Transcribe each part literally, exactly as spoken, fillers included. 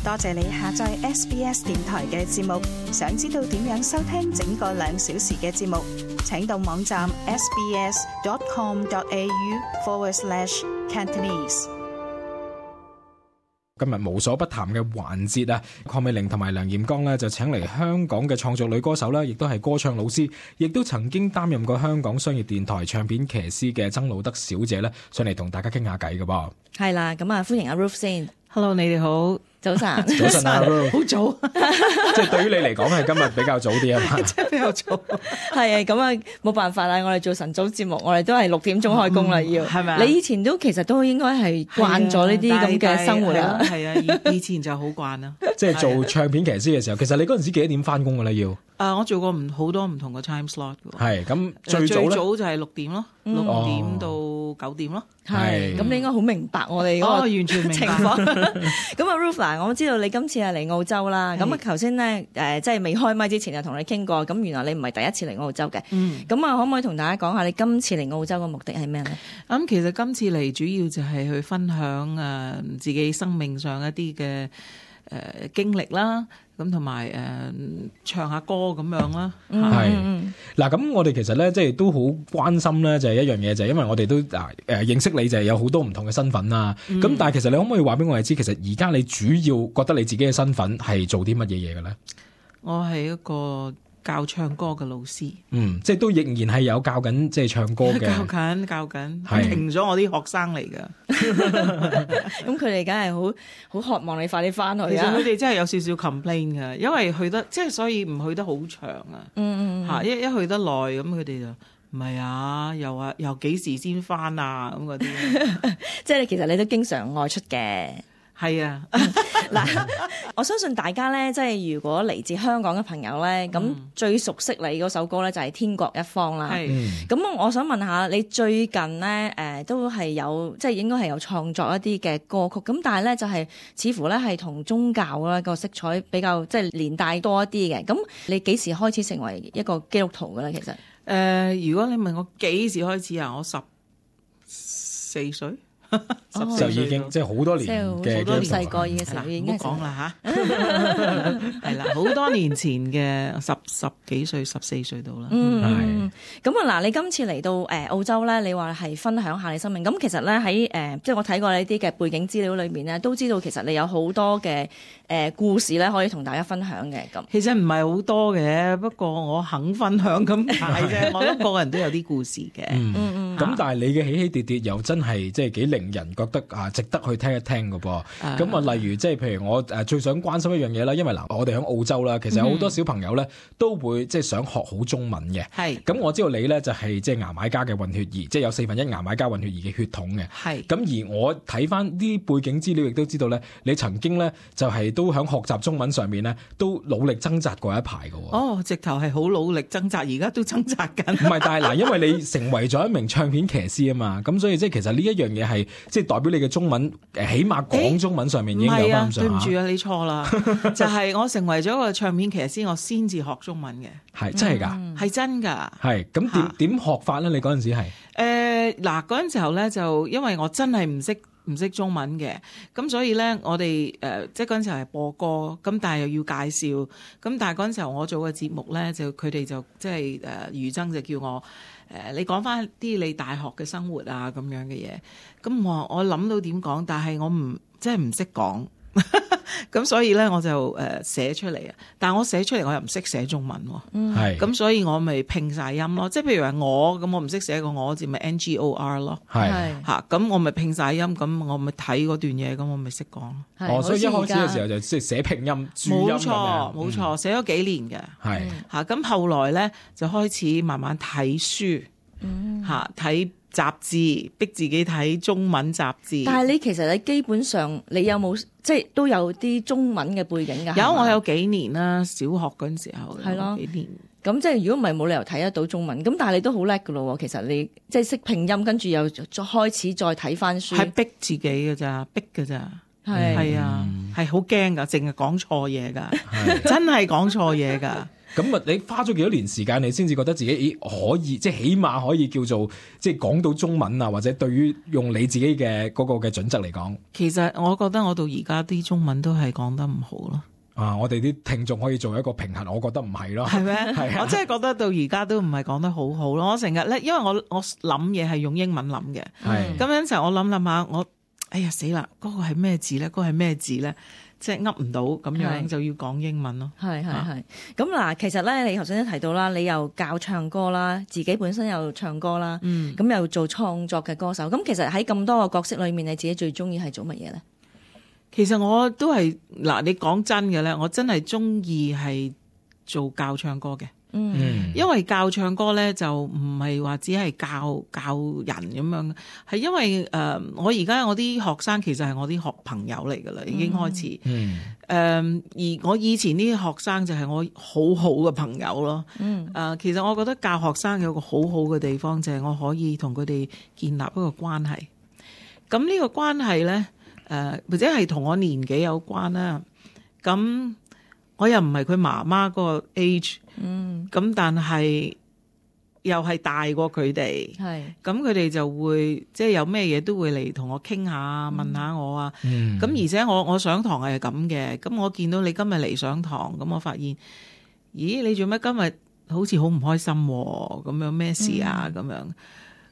多謝你下載 S B S 電台嘅節目。想知道點樣收聽整個兩小時嘅節目，請到網站 sbs.com.au forward slash Cantonese。今日無所不談嘅環節啊，鄺美玲同埋梁艷剛呢就請嚟香港嘅創作女歌手啦，亦都係歌唱老師，亦都曾經擔任過香港商業電台唱片騎師嘅曾路德小姐呢，上嚟同大家傾下偈㗎噃。係啦，咁啊歡迎阿 Ruth 先。Hello， 你哋好。早晨，早晨啊，好早，即係對於你嚟講係今日比較早啲啊嘛，即係比較早，係啊，咁啊冇辦法啦，我哋做晨早節目，我哋都係六點鐘開工啦，要係咪啊？你以前都其實都應該係慣咗呢啲咁嘅生活啦，係啊，以以前就好慣啦。即係做唱片騎師嘅時候，其實你嗰陣時幾多點翻工㗎咧？要啊，我做過唔好多唔同嘅 time slot 嘅。係咁最早最早就係六點咯，六點到九點咯。係，咁你應該好明白我哋嗰個完全明白情況。咁啊 Ruth 嗱，我知道你今次係嚟澳洲啦。咁啊頭先咧誒，即係未開麥之前就同你傾過。咁原來你唔係第一次嚟澳洲嘅。嗯。咁啊，可唔可以同大家講下你今次嚟澳洲嘅目的係咩咧？咁、嗯、其實今次嚟主要就係去分享誒、呃、自己生命上一啲嘅誒經歷啦。咁同埋誒唱下歌咁樣啦，係嗱咁我哋其實咧即係都好關心咧，就係一樣嘢，就係因為我哋都嗱誒認識你就係有好多唔同嘅身份啦。咁、嗯、但係其實你可唔可以話俾我哋知，其實而家你主要覺得你自己嘅身份係做啲乜嘢嘢嘅咧？我係一個教唱歌嘅老師，嗯，即係都仍然係有教緊即係唱歌嘅，教緊教緊，停咗我啲學生嚟㗎。咁佢哋梗係好好渴望你快啲翻去啊！其實佢哋真係有少少 complain 㗎，因為去得即係所以唔去得好長啊。嗯嗯嚇，一一去得耐咁，佢哋就唔係啊，又話又幾時先翻啊咁嗰啲。即係其實你都經常外出嘅。係啊，嗱，我相信大家咧，即係如果嚟自香港嘅朋友咧，咁、嗯、最熟悉你嗰首歌咧就係、是《天國一方》啦。係，咁、嗯、我想問下你最近咧，誒、呃、都係有即係應該係有創作一啲嘅歌曲，咁但係咧就係、是、似乎咧係同宗教咧個色彩比較即係連帶多一啲嘅。咁你幾時開始成為一個基督徒嘅咧？其實，誒、呃，如果你問我幾時開始啊，我十四歲。哦、就已經即係好多年嘅，好多年細個嘅時候已經講啦吓，係啦，好多年前嘅十十幾歲、十四歲到啦。嗯，咁啊嗱，你今次嚟到誒澳洲咧，你話係分享下你生命。咁其實咧喺誒，即係我睇過你啲嘅背景資料裏面咧，都知道其實你有好多嘅誒、呃、故事咧，可以同大家分享嘅。咁其實唔係好多嘅，不過我肯分享咁解啫。我諗個個人都有啲故事嘅。嗯嗯。咁、嗯、但係你嘅起起跌跌又真係即係幾令人覺得啊值得去聽一聽㗎噃。咁啊，例如即係譬如我誒最想關心一樣嘢啦，因為嗱我哋喺澳洲啦，其實有好多小朋友咧都會即係想學好中文嘅。係。咁我知道你咧就係即係牙買加嘅混血兒，即係有四分一牙買加混血兒嘅血統嘅。係。咁而我睇翻啲背景資料，亦都知道咧，你曾經咧就係都喺學習中文上面咧都努力掙扎過一排㗎喎。哦，直頭係好努力掙扎，而家都掙扎緊。唔係，但係嗱，因為你成為咗一名唱片騎師啊嘛，咁所以即係其實呢一樣嘢係即係代表你嘅中文，誒起碼講中文上面已經有翻咁上下。對唔住啊，你錯啦，就係我成為咗一個唱片騎師，我先至學中文嘅。係真係㗎，係真㗎。係咁點點學法咧？你嗰陣時係誒嗱嗰陣時候咧，就因為我真係唔識唔識中文嘅，咁所以咧我哋誒、呃、即係嗰陣時候係播歌，咁但係又要介紹，咁但係嗰陣時候我做嘅節目咧，就佢哋就即係誒余爭就叫我。誒、呃，你講翻啲你大學嘅生活啊咁樣嘅嘢，咁我我諗到點講，但係我唔即係唔識講，咁所以咧我就誒寫、呃、出嚟啊。但係我寫出嚟我又唔識寫中文喎，係，咁所以我咪拼晒音咯。即係譬如話我咁，我唔識寫個我字咪 N G O R 咯，係嚇，咁我咪拼晒音，咁我咪睇嗰段嘢，咁我咪識講。哦，所以一開始嘅時候就即係寫拼音、注音咁樣。冇錯，冇錯，寫咗幾年嘅，係嚇。咁後來咧就開始慢慢睇書，嚇睇雜誌，逼自己睇中文雜誌。但係你其實你基本上你有冇即係都有啲中文嘅背景㗎？有，我有幾年啦，小學嗰陣時候係咯幾年。咁即係如果唔係冇理由睇得到中文。咁但係你都好叻㗎咯喎，其實你即係識拼音，跟住又再開始再睇翻書。係逼自己㗎咋，逼㗎咋。係係啊，係好驚㗎，淨係講錯嘢㗎，真係講錯嘢㗎。咁啊，你花咗幾多年時間，你先至覺得自己咦可以，即係起碼可以叫做即係講到中文啊，或者對於用你自己嘅嗰個嘅準則嚟講，其實我覺得我到而家啲中文都係講得唔好咯。啊，我哋啲聽眾可以做一個平衡，我覺得唔係咯，係咩？係啊，我真係覺得到而家都唔係講得好好咯。我成日咧，因為我我諗嘢係用英文諗嘅，係咁樣就我諗諗下，我哎呀死啦，嗰個係咩字咧？嗰個係咩字咧？即係噏唔到，咁樣就要講英文咯。係係係。咁嗱，其實咧，你頭先都提到啦，你又教唱歌啦，自己本身又唱歌啦，嗯，咁又做創作嘅歌手。咁其實喺咁多個角色裏面，你自己最中意係做乜嘢咧？其實我都係嗱，你講真嘅咧，我真係中意係做教唱歌嘅。嗯，因為教唱歌咧就唔係話只係教教人咁樣，係因為誒、呃、我而家我啲學生其實係我啲學朋友嚟噶啦，已經開始。嗯。誒、呃、而我以前啲學生就係我好好嘅朋友咯。嗯。誒、呃、其實我覺得教學生有個好好嘅地方就係我可以同佢哋建立一個關係。咁呢個關係咧，誒、呃、或者係同我年紀有關啦。咁我又唔係佢媽媽嗰個 age。嗯，咁但係又係大過佢哋，係咁佢哋就會即係有咩嘢都會嚟同我傾下，問下我啊。嗯，咁而且我我上堂係咁嘅，咁我見到你今日嚟上堂，咁我發現，咦，你做咩今日好似好唔開心喎？咁樣咩事啊？咁、嗯、樣。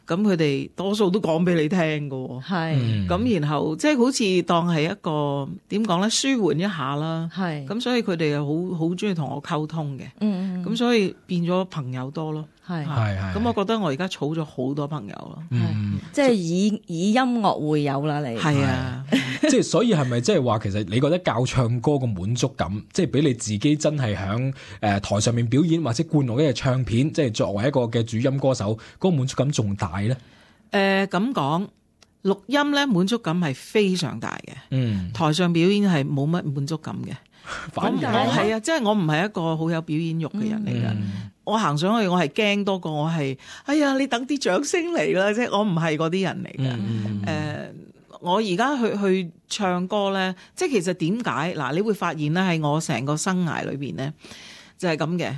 咁佢哋多數都講俾你聽㗎，係咁、嗯、然後即係好似當係一個點講咧，舒緩一下啦。係咁，所以佢哋又好好中意同我溝通嘅。嗯咁所以變咗朋友多咯。係係係。咁我覺得我而家儲咗好多朋友咯。嗯，即係以以音樂會友啦，你係啊。即係所以係咪即係話，其實你覺得教唱歌個滿足感，即係俾你自己真係響誒台上面表演或者灌錄一隻唱片，即係作為一個嘅主音歌手，嗰個滿足感仲大咧？誒咁講，錄音咧滿足感係非常大嘅。嗯，台上表演係冇乜滿足感嘅。反而我係啊，即係我唔係一個好有表演欲嘅人嚟㗎。嗯、我行上去我係驚多過我係，哎呀你等啲掌聲嚟啦！即係我唔係嗰啲人嚟嘅。誒、嗯呃，我而家去去唱歌咧，即係其實點解嗱？你會發現咧，喺我成個生涯裏邊咧，就係咁嘅。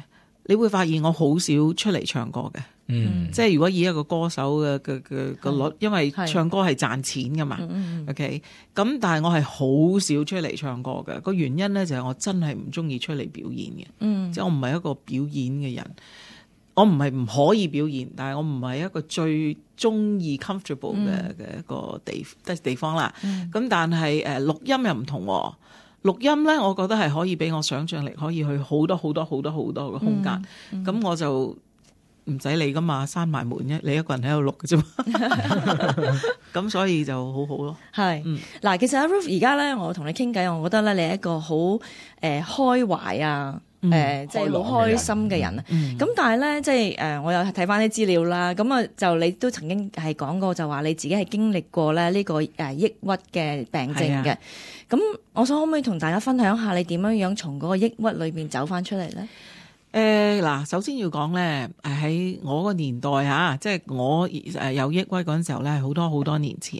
你會發現我好少出嚟唱歌嘅。嗯，即係如果以一個歌手嘅嘅嘅個率，因為唱歌係賺錢噶嘛。OK，咁但係我係好少出嚟唱歌嘅。個原因咧就係我真係唔中意出嚟表演嘅。嗯，即係我唔係一個表演嘅人。我唔係唔可以表演，但係我唔係一個最中意 comfortable 嘅嘅一個地即係地方啦。咁、嗯、但係誒錄音又唔同喎。錄音咧，我覺得係可以俾我想像力可以去好多好多好多好多嘅空間。咁、嗯嗯、我就唔使理噶嘛，閂埋門啫，你一個人喺度錄嘅啫嘛。咁所以就好好咯。係，嗱、嗯，其實阿 Ruth 而家咧，我同你傾偈，我覺得咧，你係一個好誒、呃、開懷啊，誒、呃、即係好開心嘅人啊。咁、嗯、但係咧，即係誒、呃，我又睇翻啲資料啦。咁啊，就你都曾經係講過，就話你自己係經歷過咧呢個誒抑鬱嘅病症嘅。咁、啊、我想可唔可以同大家分享下你點樣樣從嗰個抑鬱裏邊走翻出嚟咧？誒嗱，首先要講咧，誒喺我個年代嚇，即係我誒有抑鬱嗰陣時候咧，係好多好多年前。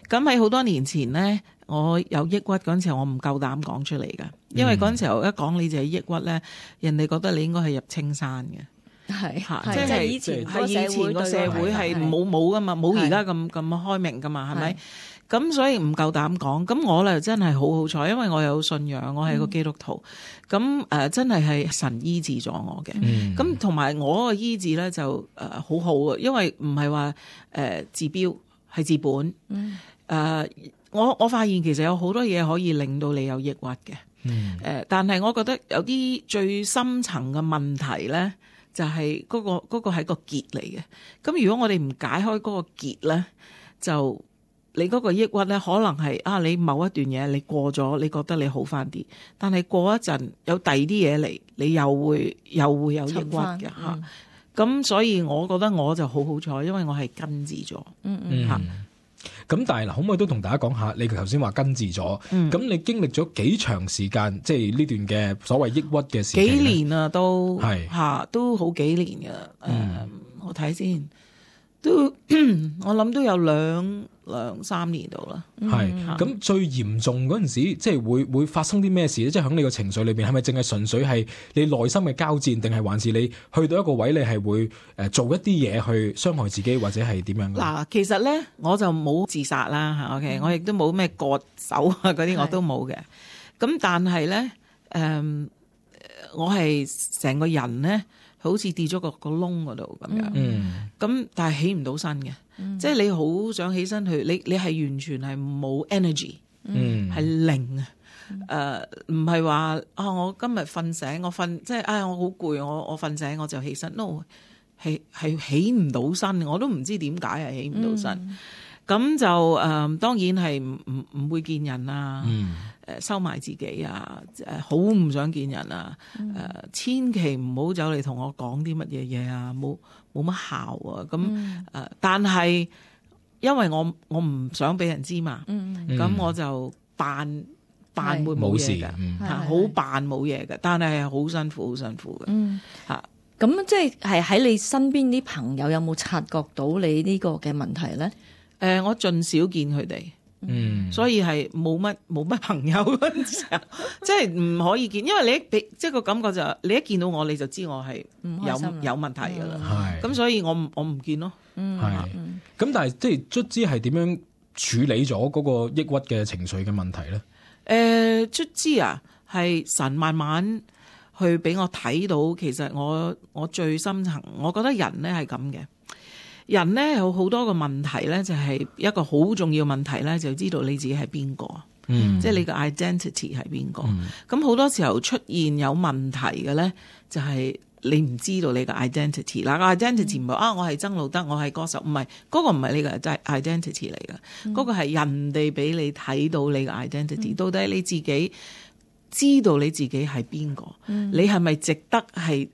咁喺好多年前咧，我有抑鬱嗰陣時候，我唔夠膽講出嚟㗎，因為嗰陣時候一講你就係抑鬱咧，人哋覺得你應該係入青山嘅，係嚇，即係以前係以前個社會係冇冇㗎嘛，冇而家咁咁開明㗎嘛，係咪？咁所以唔夠膽講，咁我咧真係好好彩，因為我有信仰，我係個基督徒，咁、嗯、誒、呃、真係係神醫治咗我嘅，咁同埋我個醫治咧就誒、呃、好好啊，因為唔係話誒治標係治本，誒、嗯呃、我我發現其實有好多嘢可以令到你有抑鬱嘅，誒、嗯呃、但係我覺得有啲最深層嘅問題咧，就係、是、嗰、那個嗰、那個係個結嚟嘅，咁如果我哋唔解開嗰個結咧，就你嗰個抑鬱咧，可能係啊，你某一段嘢你過咗，你覺得你好翻啲，但係過一陣有第二啲嘢嚟，你又會又會有抑鬱嘅嚇。咁、嗯啊、所以我覺得我就好好彩，因為我係根治咗。嗯嗯嚇。咁、嗯、但係嗱，可唔可以都同大家講下？你頭先話根治咗，咁、嗯、你經歷咗幾長時間？即係呢段嘅所謂抑鬱嘅時期？幾年啊，都係嚇、啊，都好幾年㗎。誒、嗯，我睇先。都我諗都有兩兩三年度啦。係咁、嗯、最嚴重嗰陣時，即係會會發生啲咩事咧？即係喺你個情緒裏邊，係咪淨係純粹係你內心嘅交戰，定係還是你去到一個位，你係會誒做一啲嘢去傷害自己，或者係點樣？嗱，其實咧我就冇自殺啦嚇 ，OK，、嗯、我亦都冇咩割手啊嗰啲我都冇嘅。咁但係咧，誒、嗯，我係成個人咧，好似跌咗個個窿嗰度咁樣。嗯。咁但係起唔到身嘅，嗯、即係你好想起身去，你你係完全係冇 energy，嗯，係零啊。誒，唔係話啊，我今日瞓醒，我瞓即係啊，我好攰，我我瞓醒我就起身，no， 係係起唔到身，我都唔知點解係起唔到身。咁、嗯、就誒、呃，當然係唔唔唔會見人啊。嗯誒收埋自己啊！誒好唔想見人啊！誒、嗯呃、千祈唔好走嚟同我講啲乜嘢嘢啊！冇冇乜效啊！咁誒、嗯呃，但係因為我我唔想俾人知嘛，咁、嗯、我就扮扮會冇嘢嘅，好扮冇嘢嘅，但係係好辛苦，好辛苦嘅嚇。咁、嗯啊、即係係喺你身邊啲朋友有冇察覺到你呢個嘅問題咧？誒、呃，我盡少見佢哋。嗯，所以係冇乜冇乜朋友嗰陣時候，即係唔可以見，因為你一俾即係個感覺就係你一見到我你就知我係有有問題噶啦，係咁、嗯、所以我我唔見咯，係咁但係即係卒之係點樣處理咗嗰個抑鬱嘅情緒嘅問題咧？誒、呃，卒之啊，係神慢慢去俾我睇到，其實我我最深層，我覺得人咧係咁嘅。人咧有好多個問題咧，就係一個好重要問題咧，就知道你自己係邊個，嗯，即係你個 identity 係邊個。咁好、嗯、多時候出現有問題嘅咧，就係你唔知道你個 identity。嗱，個 identity 唔係啊，我係曾路德，我係歌手，唔係嗰個唔係你個 identity 嚟嘅，嗰、嗯、個係人哋俾你睇到你個 identity、嗯。到底你自己知道你自己係邊個？嗯、你係咪值得係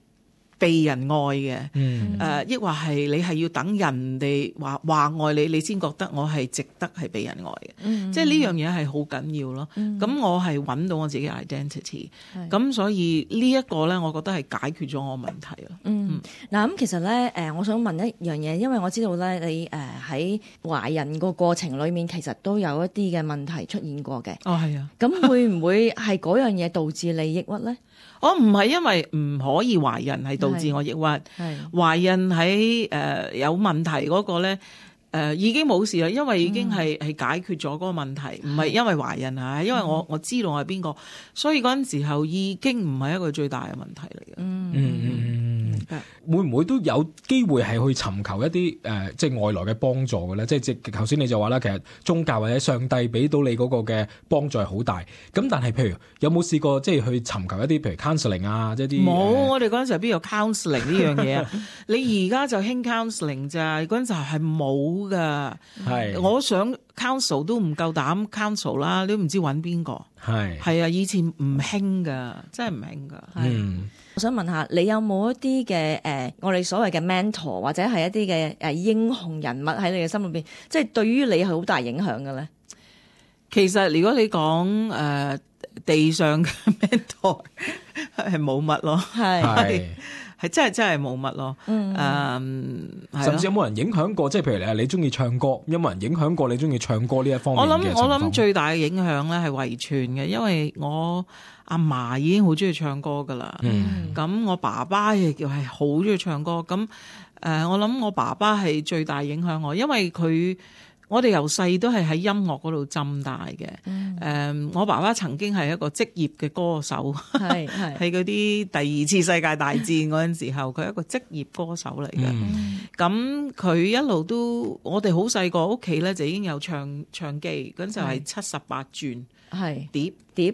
被人愛嘅，誒、嗯，抑或係你係要等人哋話話愛你，你先覺得我係值得係被人愛嘅，嗯、即係呢樣嘢係好緊要咯。咁、嗯、我係揾到我自己 identity，咁是所以呢一個咧，我覺得係解決咗我問題咯。嗯，嗱咁、嗯、其實咧，誒，我想問一樣嘢，因為我知道咧，你誒喺懷孕個過程裏面，其實都有一啲嘅問題出現過嘅。哦，係啊。咁會唔會係嗰樣嘢導致你抑鬱咧？我唔係因為唔可以懷孕係導致我抑鬱，懷孕喺誒、呃、有問題嗰個咧誒、呃、已經冇事啦，因為已經係係、嗯、解決咗嗰個問題，唔係因為懷孕啊，因為我我知道我係邊個，所以嗰陣時候已經唔係一個最大嘅問題嚟嘅。嗯嗯嗯，會唔會都有機會係去尋求一啲誒、呃、即係外來嘅幫助嘅咧？即係即係頭先你就話啦，其實宗教或者上帝俾到你嗰個嘅幫助係好大。咁但係譬如有冇試過即係去尋求一啲譬如 counselling 啊，即係啲冇？我哋嗰陣時候邊有 counselling 呢樣嘢啊？你而家就興 counselling 咋？嗰陣時候係冇噶。係是我想 counsel 都唔夠膽 counsel 啦，你都唔知揾邊個。係係啊，以前唔興噶，真係唔興噶。嗯。我想問下，你有冇一啲嘅誒，我哋所謂嘅 mentor 或者係一啲嘅誒英雄人物喺你嘅心裏邊，即係對於你係好大影響嘅咧？其實如果你講誒、呃、地上嘅 mentor 係冇乜咯，係係係真係真係冇乜咯。嗯，誒，甚至有冇人影響過？即係譬如你你中意唱歌，有冇人影響過你中意唱歌呢一方面嘅情況？我諗我諗最大嘅影響咧係遺傳嘅，因為我阿嫲已經好中意唱歌噶啦，咁、嗯、我爸爸亦叫係好中意唱歌，咁誒、呃，我諗我爸爸係最大影響我，因為佢我哋由細都係喺音樂嗰度浸大嘅，誒、嗯呃，我爸爸曾經係一個職業嘅歌手，係係喺嗰啲第二次世界大戰嗰陣時候，佢係一個職業歌手嚟嘅，咁佢、嗯、一路都我哋好細個屋企咧就已經有唱唱機，嗰陣就係七十八轉。係碟碟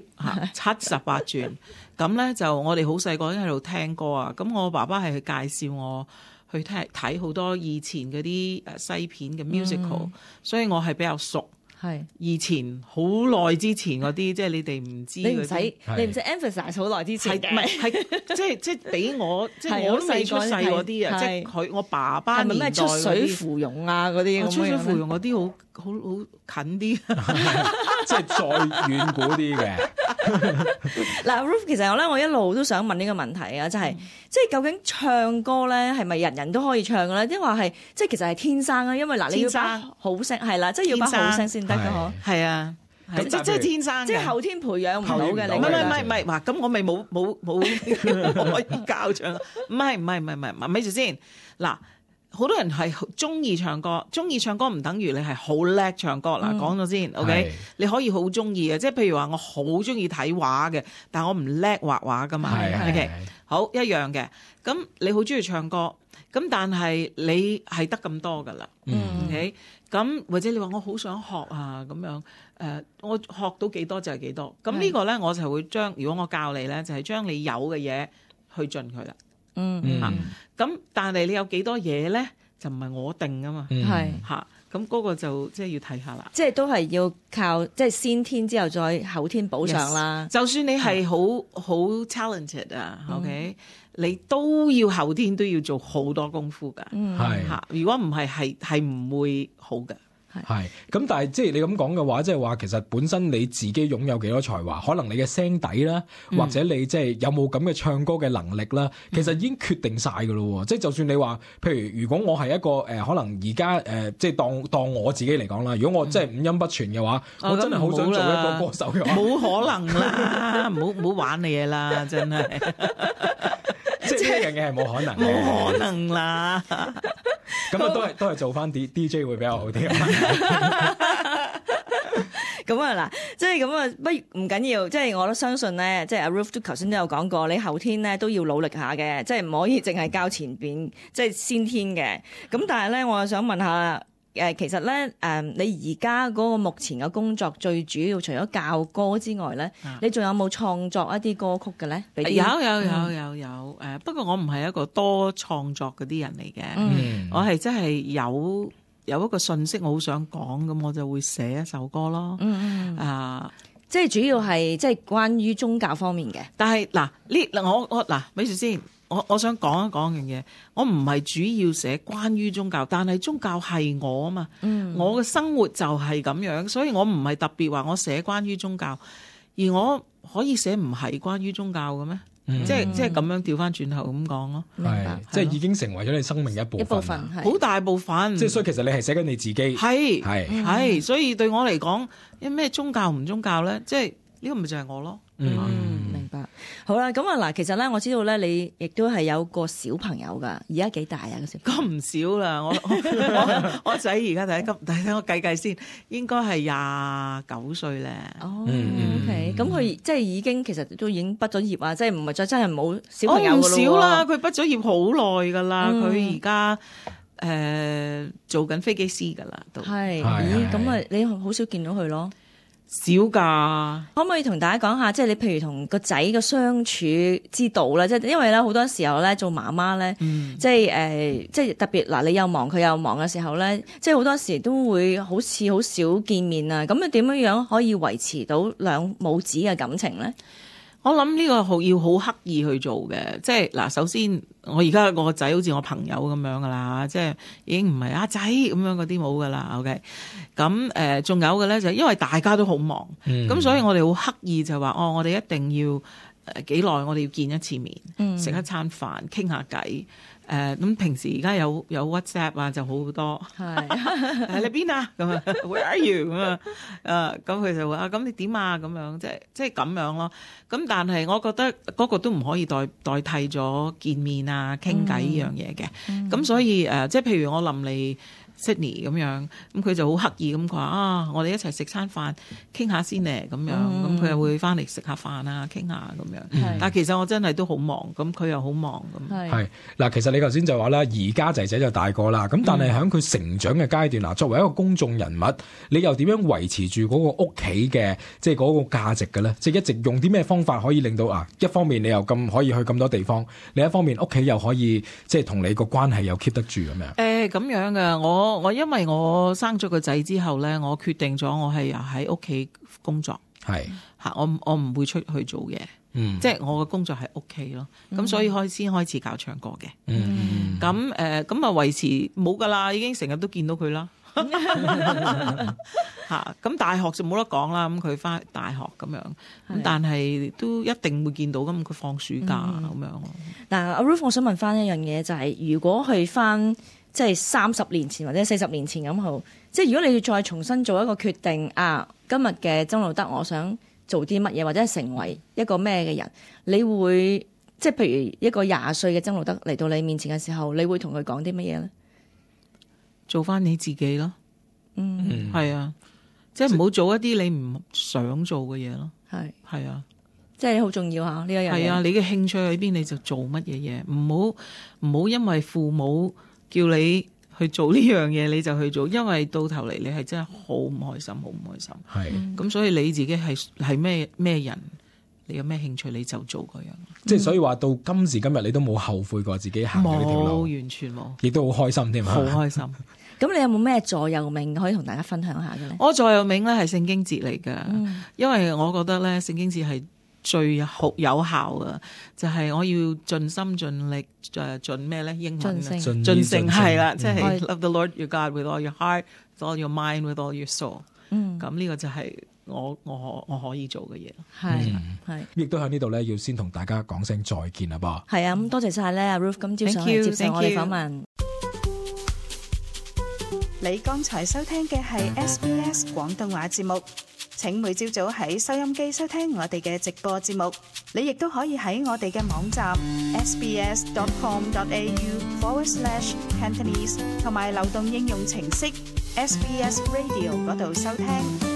嚇七十八轉，咁咧就我哋好細個已經喺度聽歌啊！咁我爸爸係去介紹我去聽睇好多以前嗰啲誒西片嘅 musical，嗯、所以我係比較熟。係以前好耐之前嗰啲，即係你哋唔知，你唔使你唔使 emphasize 好耐之前嘅，係唔係係即係即係俾我即係我都未出世嗰啲啊！即係佢我爸爸年代嗰啲出水芙蓉啊嗰啲，出水芙蓉嗰啲好好好近啲，即係再遠古啲嘅。嗱，Ruth， 其實咧，我一路都想問呢個問題啊，就係、是嗯、即係究竟唱歌咧係咪人人都可以唱嘅咧？抑或係即係其實係天生啊？因為嗱，你要把好聲係啦，即係要把好聲先得嘅嗬。係啊。即即係天生嘅，即係後天培養唔到嘅。你唔係唔係唔係，話咁我咪冇冇冇可以教唱。唔係唔係唔係唔係，咪住先。嗱，好多人係中意唱歌，中意唱歌唔等於你係好叻唱歌。嗱，講咗先 ，OK， 你可以好中意嘅，即係譬如話我好中意睇畫嘅，但係我唔叻畫畫噶嘛。OK， 好一樣嘅。咁你好中意唱歌，咁但係你係得咁多噶啦。OK，咁或者你話我好想學啊咁樣。誒、呃，我學到幾多就係幾多，咁呢個咧我就會將，如果我教你咧，就係、是、將你有嘅嘢去盡佢啦。嗯嗯。咁、啊、但係你有幾多嘢咧，就唔係我定㗎嘛。係、嗯。嚇、啊，咁嗰個就即係要睇下啦。即係都係要靠即係先天之後再後天補上啦。Yes. 就算你係好好 talented 啊、嗯、，OK， 你都要後天都要做好多功夫㗎。嗯。係。嚇，如果唔係係係唔會好㗎。係，咁但係即係你咁講嘅話，即係話其實本身你自己擁有幾多才華，可能你嘅聲底啦，嗯、或者你即係有冇咁嘅唱歌嘅能力啦，其實已經決定晒㗎咯。即係、嗯、就算你話，譬如如果我係一個誒、呃，可能而家誒，即係當當我自己嚟講啦，如果我真係五音不全嘅話，嗯、我真係好想做一個歌手嘅話，冇可能啦，唔好唔好玩你嘢啦，真係。即係呢樣嘢係冇可能，冇可能啦。咁啊，都係都係做翻 D D J 會比較好啲。咁啊嗱，即係咁啊，不唔緊要，即係我都相信咧，即係阿 Ruth 都頭先都有講過，你後天咧都要努力下嘅，即係唔可以淨係教前邊，即係先天嘅。咁但係咧，我又想問下。誒其實咧，誒、呃、你而家嗰個目前嘅工作最主要，除咗教歌之外咧，啊、你仲有冇創作一啲歌曲嘅咧？有有有有有誒、呃，不過我唔係一個多創作嗰啲人嚟嘅，嗯、我係真係有有一個信息我好想講，咁我就會寫一首歌咯。嗯嗯啊，即係主要係即係關於宗教方面嘅。但係嗱呢嗱我我嗱，咪住先。我我想講一講樣嘢，我唔係主要寫關於宗教，但係宗教係我啊嘛，嗯、我嘅生活就係咁樣，所以我唔係特別話我寫關於宗教，而我可以寫唔係關於宗教嘅咩？嗯、即係即係咁樣調翻轉頭咁講咯，係即係已經成為咗你生命一部分，一部分好大部分。即係所以其實你係寫緊你自己，係係係，所以對我嚟講，有咩宗教唔宗教咧？即係呢個咪就係我咯。嗯，明白。好啦，咁啊嗱，其實咧，我知道咧，你亦都係有個小朋友噶，而家幾大啊？個小朋友咁唔少啦，我我我仔而家第一級，但係我計計先，應該係廿九歲咧。哦、嗯、，OK，咁佢即係已經其實都已經畢咗業啊，即係唔係再真係冇小朋友噶咯？唔少啦，佢畢咗業好耐噶啦，佢而家誒做緊飛機師噶啦，都係。咦，咁啊，你好少見到佢咯？少㗎，可唔可以同大家講下，即係你譬如同個仔嘅相處之道咧？即係因為咧好多時候咧做媽媽咧，嗯、即係誒、呃，即係特別嗱，你又忙佢又忙嘅時候咧，即係好多時都會好似好少見面啊。咁你點樣樣可以維持到兩母子嘅感情咧？我諗呢個好要好刻意去做嘅，即係嗱，首先我而家我個仔好似我朋友咁樣噶啦，即係已經唔係阿仔咁樣嗰啲冇噶啦。OK，咁誒仲有嘅咧就係因為大家都好忙，咁、嗯、所以我哋好刻意就話哦，我哋一定要誒幾耐我哋要見一次面，食、嗯、一餐飯，傾下偈。誒咁、呃、平時而家有有 WhatsApp 啊就好好多，係喺你邊啊咁啊 Where are you 咁啊？誒咁佢就話啊咁你點啊咁樣，即係即係咁樣咯。咁但係我覺得嗰個都唔可以代代替咗見面啊傾偈呢樣嘢嘅。咁、嗯、所以誒、呃、即係譬如我臨嚟 Sydney 咁樣，咁佢就好刻意咁講啊，我哋一齊食餐飯傾下先咧咁樣，咁佢又會翻嚟食下飯啊傾下咁樣。嗯、但係其實我真係都好忙，咁佢又好忙咁。係嗱，其實你頭先就話啦，而家仔仔就大個啦，咁但係喺佢成長嘅階段嗱，作為一個公眾人物，你又點樣維持住嗰個屋企嘅即係嗰個價值嘅咧？即係一直用啲咩方法可以令到啊？一方面你又咁可以去咁多地方，另一方面屋企又可以即係同你個關係又 keep 得住咁樣。誒咁樣嘅我。我因為我生咗個仔之後咧，我決定咗我係喺屋企工作，係吓是我我唔會出去做嘢，嗯，即係我嘅工作係屋企咯，咁、嗯、所以開先開始教唱歌嘅，嗯，咁誒咁啊維持冇噶啦，已經成日都見到佢啦。嚇。咁大學就冇得講啦，咁佢翻大學咁樣，咁但係都一定會見到，咁佢放暑假咁、嗯、樣。嗱，阿 Ruth，我想問翻一樣嘢，就係、是、如果去翻即係三十年前或者四十年前咁好，即係如果你要再重新做一個決定啊，今日嘅曾路得，我想做啲乜嘢，或者係成為一個咩嘅人，你會即係譬如一個廿歲嘅曾路得嚟到你面前嘅時候，你會同佢講啲乜嘢咧？做翻你自己咯，嗯，係啊，即係唔好做一啲你唔想做嘅嘢咯，係係啊，即係好重要嚇呢一樣嘢。係啊，你嘅興趣喺邊你就做乜嘢嘢，唔好唔好因為父母叫你去做呢樣嘢你就去做，因為到頭嚟你係真係好唔開心，好唔開心。係，咁所以你自己係係咩咩人，你有咩興趣你就做嗰樣。即係所以話到今時今日你都冇後悔過自己行呢條路，冇，完全冇，亦都好開心添，好開心。咁你有冇咩座右銘可以同大家分享下嘅咧？我座右銘咧係聖經節嚟㗎，嗯、因為我覺得咧聖經節係最好有效嘅，就係、是、我要盡心盡力誒盡咩咧？英文盡性盡性係啦，即係 love the Lord your God with all your heart, with all your mind, with all your soul。嗯，咁呢個就係我我我可以做嘅嘢。係係，亦都喺呢度咧，要先同大家講聲再見啦噃。係啊，咁多謝晒咧，阿 Ruth 今朝上嚟接受我哋訪問。你剛才收聽嘅係 S B S 廣東話節目，請每朝早喺收音機收聽我哋嘅直播節目。你亦都可以喺我哋嘅網站 sbs.com.au forward slash Cantonese 同埋流動應用程式 S B S Radio 嗰度收聽。